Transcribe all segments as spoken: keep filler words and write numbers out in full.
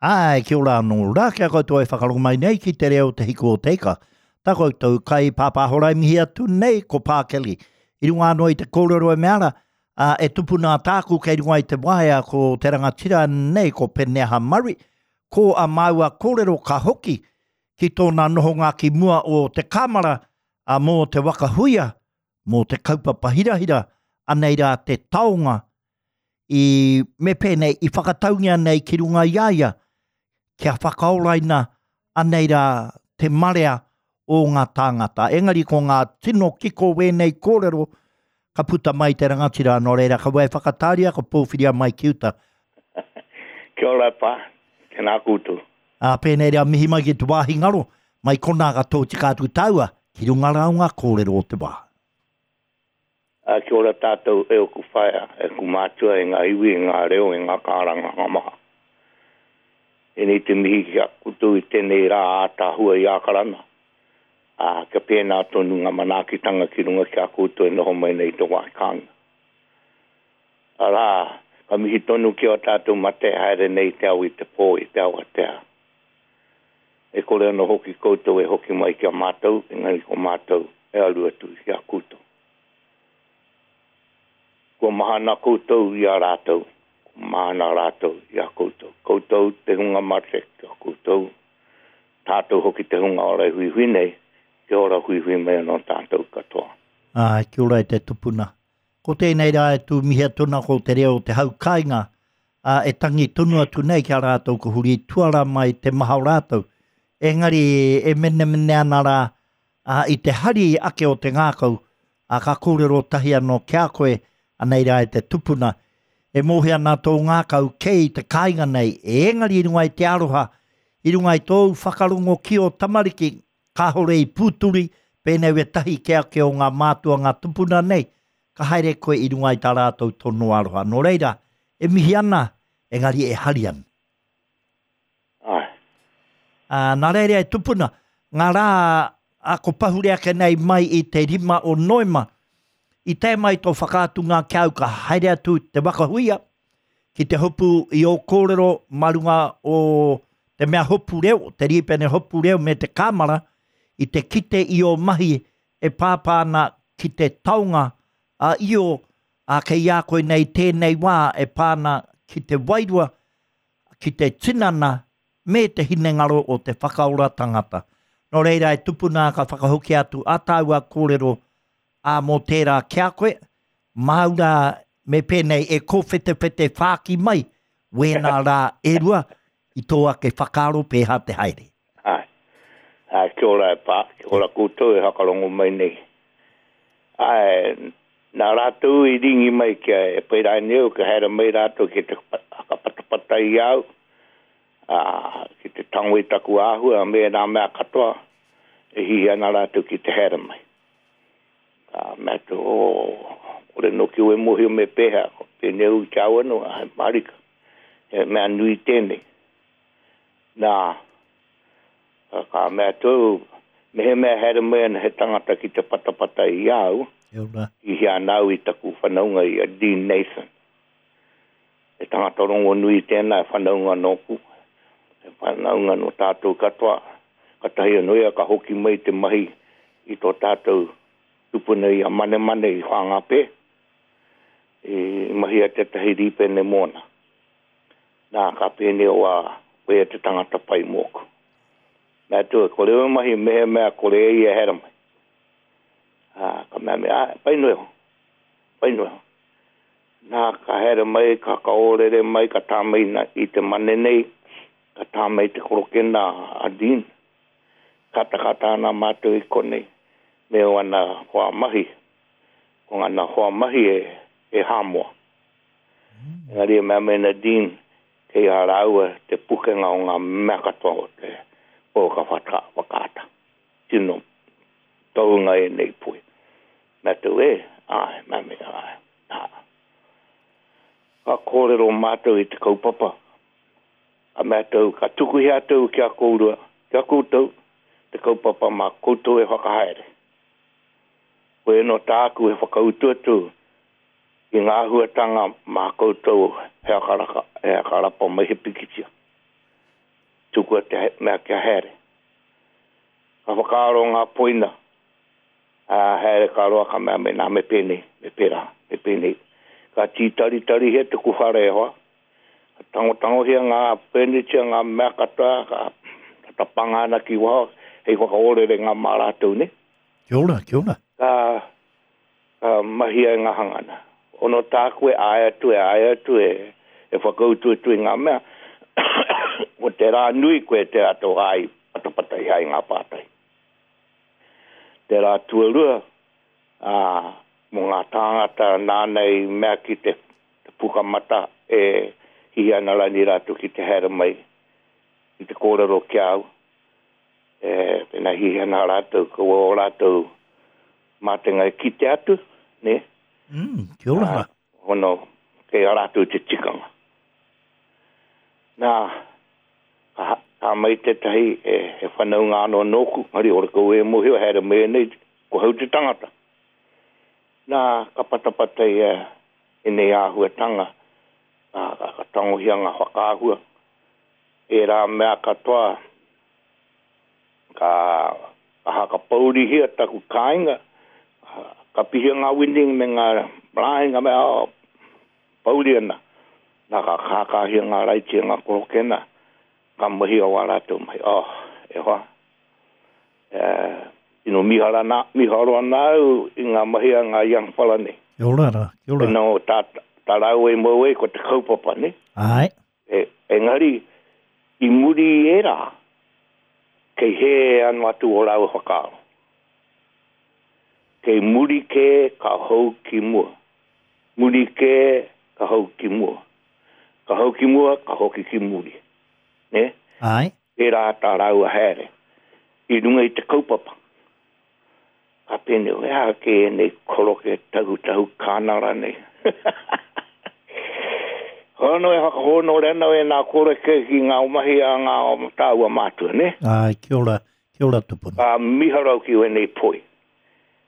Āe, kia ora anō rā kia koutou e whakarongo mai nei ki te reo Te Hiku o Te Ika. Tā koutou kai pāpāhora e mihi atu nei ko Pākeli. I runga anō i te kōrero e mea ara, ā, e tupuna tāku kei runga i te waea ko te rangatira nei ko Peneha Murray, ko a māua kōrero ka hoki ki tōna nohonga ki mua o te kāmara ā, mō te waka huia, mō te kaupapa hirahira, anei rā te taonga i me pēnei i whakataungia nei ki runga i a ia kia whakaoraina anei rā te marea o ngā tāngata. Engari ko ngā tino kiko wēnei kōrero ka puta mai te rangatira, nō reira ka wai whakatāria, ka pōwhiria mai ki uta. Kia ora e pā, tēnā koutou. Ā, pēnei rā mihi mai ki te wāhi ngaro, mai konā ka tōtika atu tāua ki runga rā o ngā kōrero o te wā. Ā, kia ora tātou e oku whaea, e ku mātua, e ngā iwi, e ngā reo, e ngā kāranganga maha. Tēnei te mihi ki a koutou i tēnei rā ātaahua i Ākarana, ā, kia pēnā tonu ngā manaakitanga ki runga ki a koutou e noho mai nei i te wāhi kāinga. Arā, ka mihi tonu ki ō tātou mate e haere nei i te ao i te pō, i te awatea. E kore anō hoki koutou e hoki mai ki a mātou, engari ko mātou e aru atu ki a koutou. Kua mahana koutou i a rātou, kua mahana rātou i a koutou. Koutou te hunga mate, kia koutou, tātou hoki te hunga ora e huihui nei, kia ora huihui mai anō tātou katoa. Āe, kia ora e te tupuna. Ko tēnei rā e tū mihi atu ana ko te reo o te hau kāinga, ā, e tangi tonu atu nei ki a rātou ko huri tuara mai te maha o rātou. Engari e menemene ana rā, ā, i te hari ake o te ngākau, ā, ka kōrero tahi anō ki a koe, anei rā e te tupuna, e mōhio ana tō ngākau kei te kāinga nei, engari i runga i te aroha, i runga i tōu whakarongo ki ō tamariki, kāore i pūturi, pēnei wētahi kē ake o ngā mātua ngā tupuna nei, ka haere koe i runga i tā rātou tono aroha. Nō reira, e mihi ana, engari e hari ana. Āe. Ā, nā reira e tupuna, ngā rā a ko pahure ake nei mai i te rima o Noema, i tae mai tō whakaatunga ki au ka haere atu te waka huia ki te hopu i ō kōrero mā runga o te mea hopu reo, te rīpene hopu reo me te kāmara, i te kite i ō mahi e pāpā ana ki te taonga a Io, ā, kei a koe nei tēnei wā e pā ana ki te wairua, ki te tinana me te hinengaro o te whakaora tangata. Nō reira e tupuna ka whakahokia atu ā tāua kōrero ā mō tērā ki a koe, māu rā me pēnei e kōwhetewhete whāki mai wēnā rā e rua i tō ake whakaaro pēhā te haere. Āe. Āe, kia ora e pā, kia ora koutou e whakarongo mai nei. Āe, nā rātou i ringi mai kia e pai rānei au, kia haere mai rātou ki te whakapatapatai i a au, ā, ki te tango i taku āhua me ērā mea katoa e hiahia ana rātou ki te haere mai. Ka mea atu, oh, kore noki au e mōhio me pēhea, ko pēnei au ki a au anō, āe mārika, he mea nui tēnei. Nā, ka mea atu au, mehemea haere mai ana he tangata ki te patapata i a au, i hia ana au i taku whanaunga i a Dean Nathan. He tangata rongonui tēnā, he whanaunga nōku, he whanaunga nō tātou katoa. Katahi anō ia ka hoki mai te mahi i tō tātou tupuna i a Manemane i Whāngāpē, i mahia tētahi rīpene mōna. Nā, ka pēnei o a koia te tangata pai mōku. Mea atu, kore au e mahi mehemea kore e ia e haere mai. Ā, ka mea mai, āe, pai noa iho, pai noa iho. Nā, ka haere mai, ka whakaōrere mai, ka tā mai i te mane nei, ka tā mai te korokena a Dean. Katakata ana mātou i konei me ōna hoa mahi, ko ngana hoa mahi e, e Hāmoa. Engari e mea mai ana Dean, kei a rāua te pukenga o ngā mea katoa o te pouaka whakaata. Tino tohunga ēnei poi. Mea atu, e, āe, mea mai, āe, nā. Ka kōrero mātou i te kaupapa, ka mea atu, ka tukuhia atu ki a kōrua, ki a koutou, te kaupapa mā koutou e whakahaere. Koia nō tāku he whakautu atu i ngā āhuatanga mā koutou he akaraka, he akarapa mai he pikitia. Tukua te mea kia haere. Ka whakaaro ngā poina, a haere ka roa ka mea me nā me pēnei, me pērā, me pēnei. Ka tītaritari he tuku whare e hoa. Ka tangotangohia ngā furniture, ngā mea katoa, ka tapanga ana ki waho, hei whakaorere ngā mā rātou, ne? Kia ora, kia ora. Ka, ka mahia e ngā hangana. Ono tāku e ae atu, e ae atu, e, e whakautu atu i ngā mea. Ko te rā nui koe te rātou ai patapata i ai ngā pātai. Te rā tuarua, ā, mō ngā tāngata nāna i mea ki te, te pukamata e hihi ana rani rātou ki te haere mai, ki te kōrero ki au, e, pena hihi ana rātou, ko o rātou mātenga e kite atu, ne? Mm, kia ora. Ā, hono, kei a rātou te tikanga. Nā, ka, ka mai tētahi e, e whanaunga anō nōku, ngari ora kau e mōhio, haere mai nei, ko hau te tangata. Nā, ka patapata ia e nei āhuatanga, ka, ka, ka tangohia ngā whakaahua. E rā mea katoa, ka, ka hakapourihia taku kāinga, ka pihia ngā winding me ngā blind, ngā mea, oh, pouri ana. Nā, ka kākāhia ngā raiti ngā korokena, ka mahi o wā rātou mai. Oh, e hoa. E, ino mihara nā, miharo ana au i ngā mahi a ngā young fella nei. Kia ora rā, kia ora. Ino tā, tā rāua i mau e ko te kaupapa, ne? Ai. E, engari, i muri i ērā, kei hē anu atu o rāua whakaaro. Kei muri kē ka hou ki mua. Muri kē ka hou ki mua. Ka hou ki mua, ka hoki ki muri. Ne? Ai. Ērā tā rāua haere. I runga i te kaupapa. Ka pēnei, e aha ke nei koroke tahu tahu kānara nei. Hono e whakahono rena e nā koroke ki ngā mahi a ngā tāua mātua, ne? Ai, kia ora, kia ora tupuna. Ka miharau ki wēnei poi.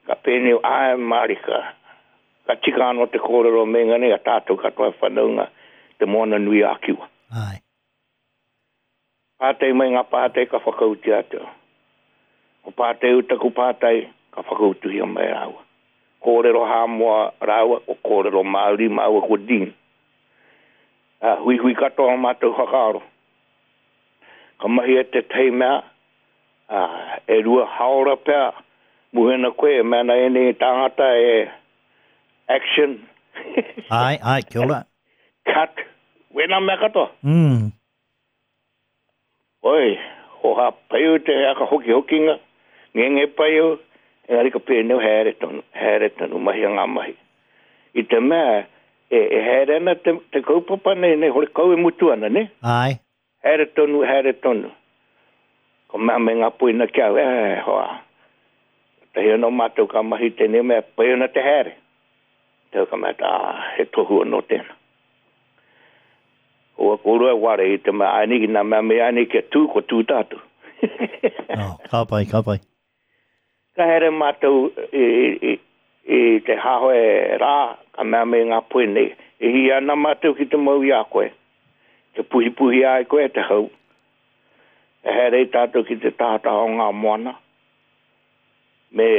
Ka pēnei, ai marika. Ka tika anō te kōrero me ngā a tātou katoa whanaunga te moana nui a Kiwa. Ai. Pātai mai ngā pātai ka whakauti atu. Ko pātai utaku pātai ka whakautuhia mai rāua. Kōrero Hāmoa rāua, ko kōrero Māori māua ko Dean. Uh, hui hui katoa mātou whakaaro. Ka mahi e te tei mea, uh, e rua haora pea, muhena koe, e mea na ene tāngata e action. Ai, ai, kia ora. Cut, wena mea katoa. Mm. Oi, hoha paiu te aka hoki hokinga, ngenge paiu, engari ka pēnei haere tonu, haere tonu, mahi a ngā mahi. I te mea, e, e haere ana te, te kaupapa nei, nei, hore kau e mutu ana, ne? Ai. Haere tonu, haere tonu. Ko mea me ngā poina kia au, e, hoa. Tahi anō mātou ka mahi tēnei mea, pai ana te haere. Te ka mea, ah, he tohu anō tēnā. Oa kōrua e ware i te mea, ai nei, nā mea mea ai nei kia tū, ko tū tātou. Oh, ka pai, ka pai. Ka haere mātou i, i, i te hahoe rā, ka mea me ngā poe nei. E hi ana mātou ki te mau i a koe. Te puhipuhi ai koe te hau. E haere i tātou ki te tahataha o ngā moana. Me,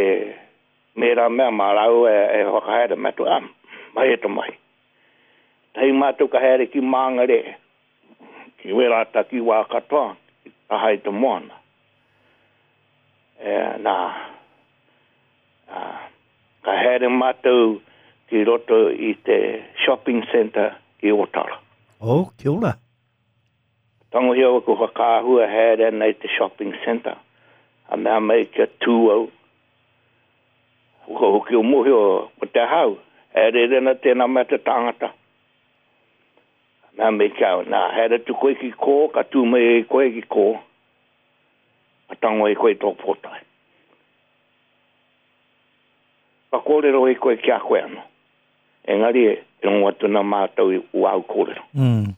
me rā mea mā rāua e, e whakahaere mātou, ah, mai e te mahi. Tahi mātou ka haere ki Māngere, ki wērā taki wā katoa, ki taha i te moana. E, nā, ā, ka haere mātou ki roto i te shopping centre i Otara. Oh, kia ora. Tangohia au ko whakaahua haere ana i te shopping centre. A mea mai kia tū au. Ko hoki o mōhio ko te hau. Haere rena tēnā mea te tāngata. Mea mai kia au, nā, haere tu koe ki kō, ka tū mai e koe ki kō. Ka tango e koe tō pōtae. Ka kōrero e koe ki a koe anō. Engari e rongo atu nā mātou i wau kōrero. Mm.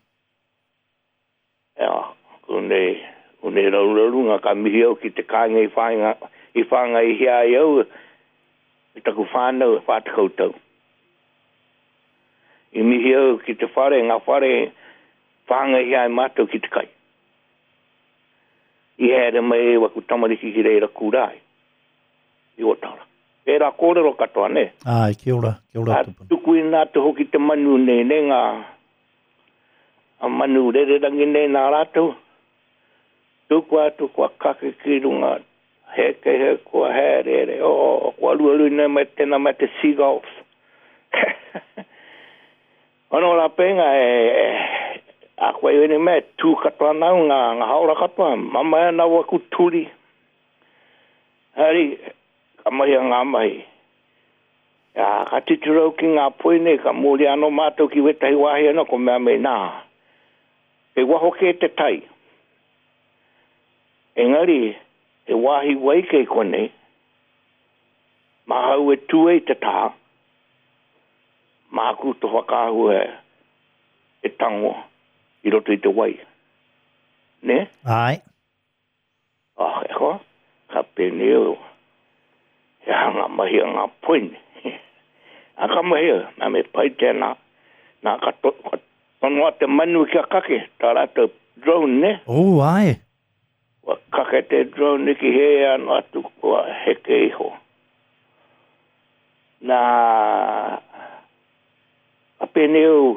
Ea, ko nei, ko nei raurarunga ka mihi au ki te kāinga i whāinga, i whāngai i hea ai au, i taku whānau e whātekau tau. I mihi au ki te whare, ngā whare whāngai hea ai mātou ki te kai. I haere mai e waku tamariki ki reira kura ai. I Otara. Pērā kōrero katoa, ne? Ai, kia ora, kia ora A tupuna. tuku i nā te hoki te manu nei, ne ngā a manu rererangi nei nā rātou. Tuku atu kua kake ki runga, heke he kua haerere, oh, kua ruaru nei mai tēnā mai te seagulls. Ono rā pēnga e, e, a koe ene mea, tū katoa nau, ngā, ngā haora katoa, mama e nau aku turi. Hari, ka mahi a ngā mahi. Ja, ka titiro ki ngā poi nei, ka muri anō mātou ki wetahi wāhi anō, ko mea mei nā. Kei waho kē te tai. Engari, he wāhi wai kei konei, mahau e tū e te tā, māku te whakaahua e tango i roto i te wai. Ne? Ai. Ah, e hoa, ka pēnei au. He hanga mahi a ngā poine. A ka mahi au, nā me pai tēnā. Nā ka, to, ka tonoa te manu kia kake, tā rātou drone, ne? Oh, ai. Kua kake te drone ki he anō atu kua heke iho. Nā, ka pēnei au,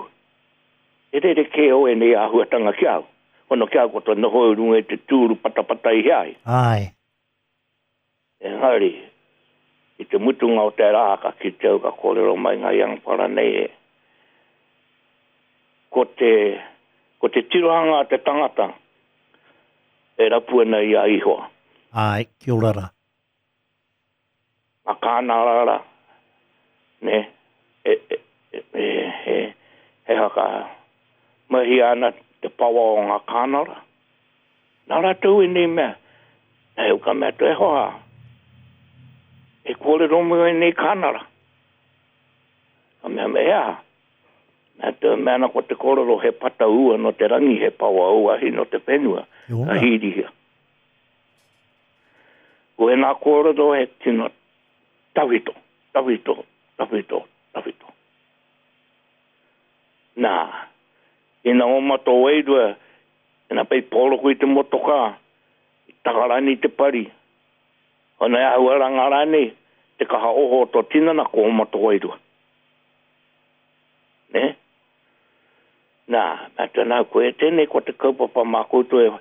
e rere kē o e nei āhuatanga ki au. Hono ki au ko tō noho i runga i te tūru patapata i heai. Ai. Engari, i te mutunga o te rā, ka kite au ka kōrero mai ngā iangpara nei e. Ko te, ko te tirohanga a te tangata e rapu ana i a ihoa. Ai, kia ora rā. A kāna rara, ne, e, e, e, e, he, he haka mahi ana te pawa o ngā kānara. Nā rātou i nei mea, nei au ka mea tō e hoa, e kōrero mai e nei kānara. Ka mea mea ea, mea tō mea ana ko te kōrero he pata ua no te rangi, he pawa ua hi no te whenua, Kia ora. ka hīrihia. Ko e nā kōrero he tino tawhito, tawhito, tawhito, tawhito. Nā, ina oma tō wairua, ina pei pōroko i te motoka, i takarani te pari, ona e ahua rangarani, te kaha oho o tō tinana ko oma tō wairua. Ne? Nā, mea tēnā koe e tēnei ko te kaupapa mā koutou e,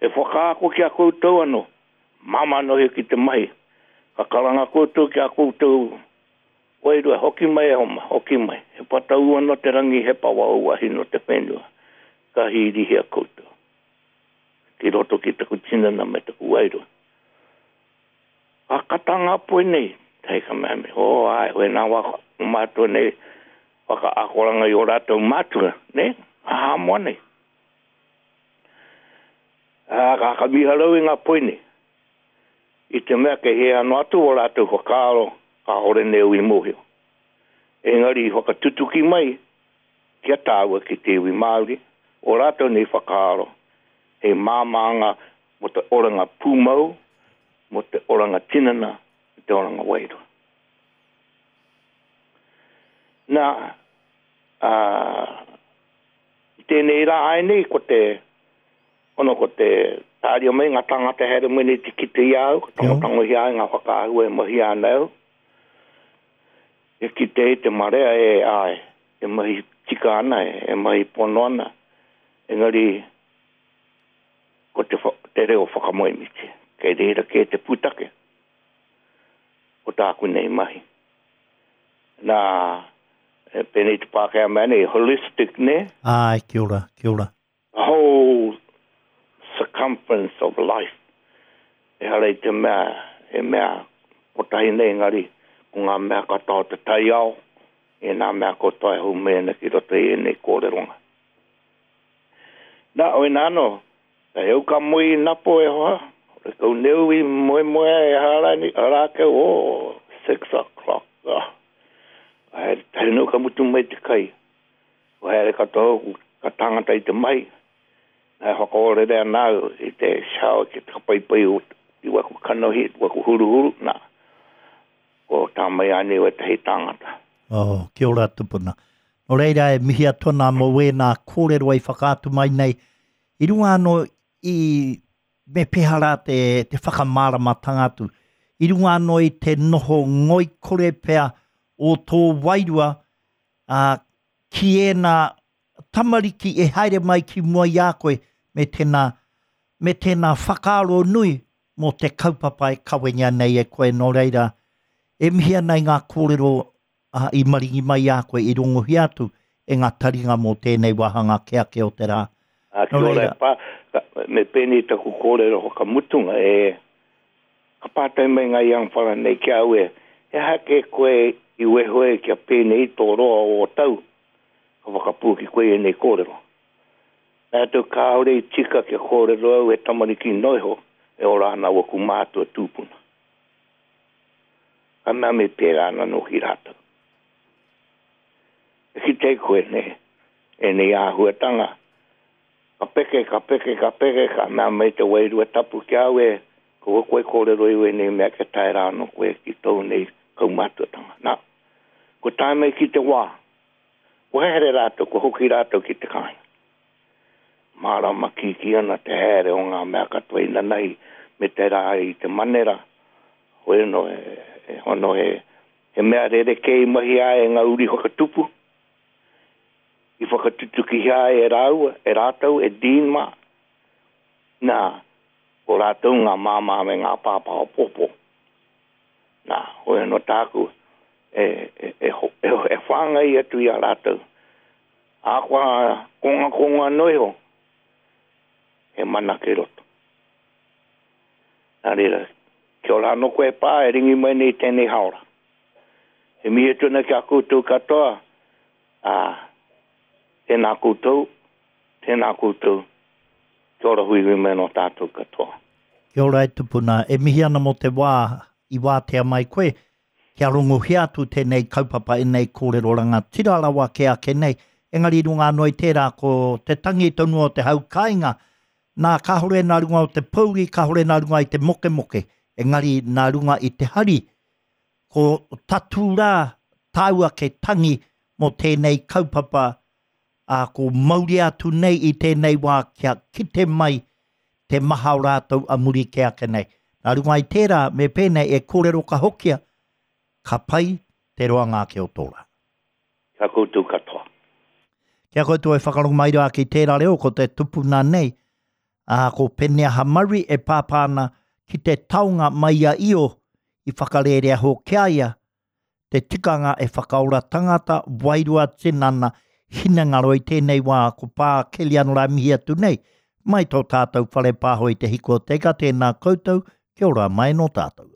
e whakaako ki a koutou anō. Māmā nohi ki te mahi. Ka karanga koutou ki a koutou wairua, hoki mai e homa, hoki mai. He patau anō te rangi, he pawa uahi no te whenua. Ka hīrihia koutou. Ki roto ki taku tinana me taku wairua. Ka kata ngā poe nei. Hei ka mea me, oh, ai, hoe nā waka, o mātua nei, waka akoranga i o rātou mātua, ne? A Hāmoa nei. A, ka ka miharau i ngā poe nei. I te mea ke he anō atu o rātou whakaaro, kāore nei au i mōhio. Engari i whakatutuki mai ki a tāua ki te iwi Māori, o rātou nei whakaaro, he māmānga mo te oranga pūmau, mo te oranga tinana, me te oranga wairua. Nā, a, i tēnei rā ai nei, ko te, ono ko te tāria mai ngā tangata here mai nei te kite i au, ka tangotangohia ai ngā whakaahua e mahi ana au. E kite e te marea e ai, e mahi tika ana, e mahi pono ana. Engari, ko te, wha, te reo whakamoemiti. Kei reira kē te pūtake o tāku nei mahi. Nā, e pēnei te Pākehā mea nei, holistic, ne? Ai, kia ora, kia ora. The whole circumference of life. E hara i te mea, e mea, kotahi nei engari, ko ngā mea katoa o te taiao, e nā mea katoa e haumai ana ki roto i ēnei kōreronga. Nā, o ina anō, ka heu ka moe i napo e hoa, re kau neu i moe moe e harani, harākau, oh, six o'clock. Ah. Haere, haere nau ka mutu mai te kai. O haere katoa au, ka tangata i te mai. Nā whakaorere ana au i te shower ki te kapaipai o i waku kanohi, waku huruhuru, nā. Ko tā mai ane o etahi tangata. Oh, kia ora tupuna. Nō reira e mihi atu ana mō wēnā kōrero ai whakaatu mai nei. I runga anō i me pēhea rā te, te whakamāramatanga atu. I runga anō i te noho ngoikore pea o tō wairua ā, ki ēnā tamariki e haere mai ki mua i a koe me tēnā, me tēnā whakaaro nui mō te kaupapa e kawengia nei e koe. Nō reira, e mihi ana i ngā kōrero ā, i maringi mai i a koe, i rongohia atu e ngā taringa mō tēnei wāhanga ake ake o te rā. Ā, Nō kia ora reira, e pā, ka, me pēnei taku kōrero whakamutunga, e, ka pātai mai ngā young whara nei ki a au e, he aha kē koe i wehe kia pēnei tō roa o ō tau, ka whakapuaki koe i ēnei kōrero. Rātou kāore i tika kia kōrero au he tamariki noa iho e ora ana waku mātua tūpuna. Ka mea me pērā ana nōki rātou. E kite ai koe nei, ēnei āhuatanga, ka peke, ka peke, ka peke, ka mea mai te wairua tapu ki a au e, kaua koe kōrero i wēnei mea kia tae rā anō koe ki tōu nei kaumātuatanga. Nā, kua tae mai ki te wā, kua haere rātou, kua hoki rātou ki te kāinga. Mārama kīkī ana te haere o ngā mea katoa inanahi me te rā i te manera, hoi anō he, he hono he, he mea rerekē i mahia ai e ngā uri whakatupu, i whakatutukihia ai e rāua, e rātou, e Dean mā. Nā, ko rātou ngā māmā me ngā pāpā o pōpō. Nā, hoi anō tāku e, e, e, e, e whāngai atu i a rātou. Ahakoa kongakonga noa iho, he mana kei roto. Nā reira, kia ora anō koe e pā, e ringi mai nei tēnei haora. E mihi atu ana ki a koutou katoa, ā, tēnā koutou, tēnā koutou, kia ora huihui mai anō tātou katoa. Kia ora e tupuna, e mihi ana mō te wā i wātea mai koe, kia rongohia atu tēnei kaupapa, ēnei kōrero rangatira rawa kē ake nei, engari i runga anō i tērā ko te tangi tonu o te hau kāinga, nā kāore nā runga o te pōuri, kāore nā runga i te mokemoke, engari nā runga i te hari, ko tatū rā tāu ake tangi mō tēnei kaupapa, ā, ko mauria atu nei i tēnei wā kia kite mai te maha o rātou a muri kē ake nei. Nā runga i tērā, me pēnei e kōrero ka hokia, ka pai te roanga ake o tō rā. Kia koutou katoa. Kia koutou e whakarongo mai rā ki tērā reo, ko te tupuna nei, ā, ko Peneaha Murray e pāpā ana ki te taonga mai i a Io i whakarērea hoki a ia, te tikanga e whakaora tangata, wairua, tinana, hinengaro i tēnei wā, ko Pā Kelly anō rā mihi atu nei, mai tō tātou whare pāho i te hiku o te ika, tēnā koutou, kia ora mai nō tātou.